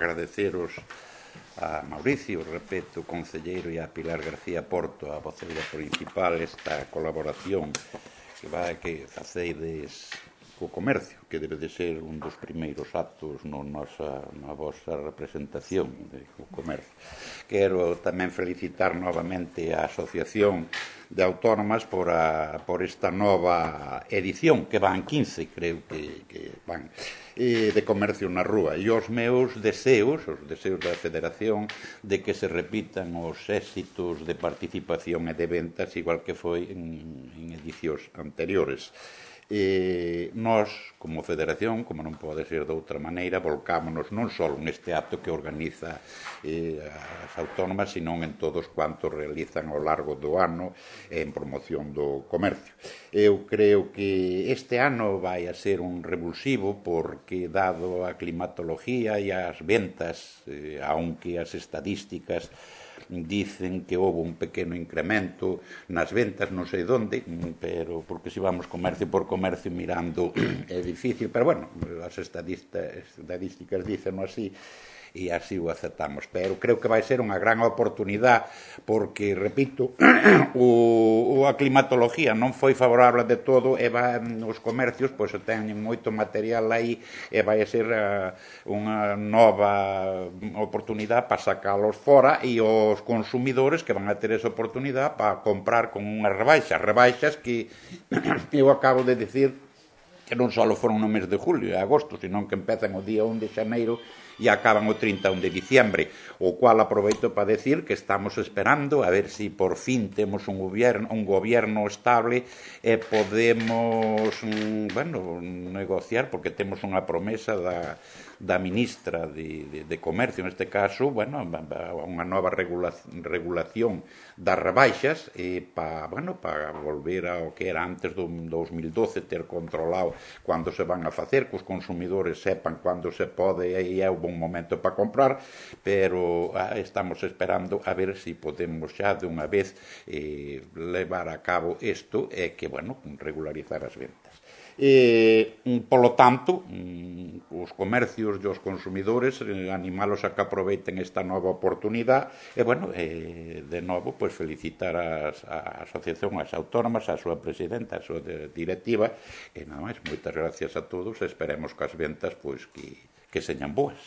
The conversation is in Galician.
agradeceros a Mauricio, repito, concelleiro, e a Pilar García Porto, a voceira principal, esta colaboración que faceides co comercio, que debe de ser un dos primeiros actos na vosa representación co comercio. Quero tamén felicitar novamente a Asociación de Autónomas por esta nova edición, que van 15, creo que van, de comercio na rúa. E os meus deseos, os deseos da Federación, de que se repitan os éxitos de participación e de ventas, igual que foi en edicións anteriores. Nós, como Federación, como non pode ser de outra maneira, volcámonos non só neste acto que organiza as autónomas, senón en todos cuantos realizan ao largo do ano en promoción do comercio. Eu creo que este ano vai a ser un revulsivo porque, dado a climatología e as ventas, aunque as estadísticas dicen que houve un pequeno incremento nas ventas, non sei onde, pero porque se vamos comercio por comercio mirando é difícil, pero bueno, as estadísticas dicen así, e así o aceptamos. Pero creo que vai ser unha gran oportunidade porque, repito, a climatología non foi favorable de todo e os comercios pois teñen moito material aí e vai ser unha nova oportunidade para sacalos fora e os consumidores que van a ter esa oportunidade para comprar con unhas rebaixas que eu acabo de decir que non só foron no mes de julio e agosto, senón que empezan o día 1 de xaneiro e acaban o 31 de diciembre, o cual aproveito para decir que estamos esperando a ver se por fin temos un gobierno estable e podemos negociar, porque temos unha promesa da ministra de Comercio, neste caso, unha nova regulación das rebaixas para volver ao que era antes do 2012, ter controlado cando se van a facer, que os consumidores sepan cando se pode e é un bon momento para comprar, pero estamos esperando a ver se podemos xa de unha vez levar a cabo isto e que, regularizar as ventas. Polo tanto, os comercios e os consumidores animalos a que aproveiten esta nova oportunidade e, de novo, felicitar a Asociación, as autónomas, a súa presidenta, a súa directiva e nada máis, moitas gracias a todos e esperemos que as ventas que señan boas.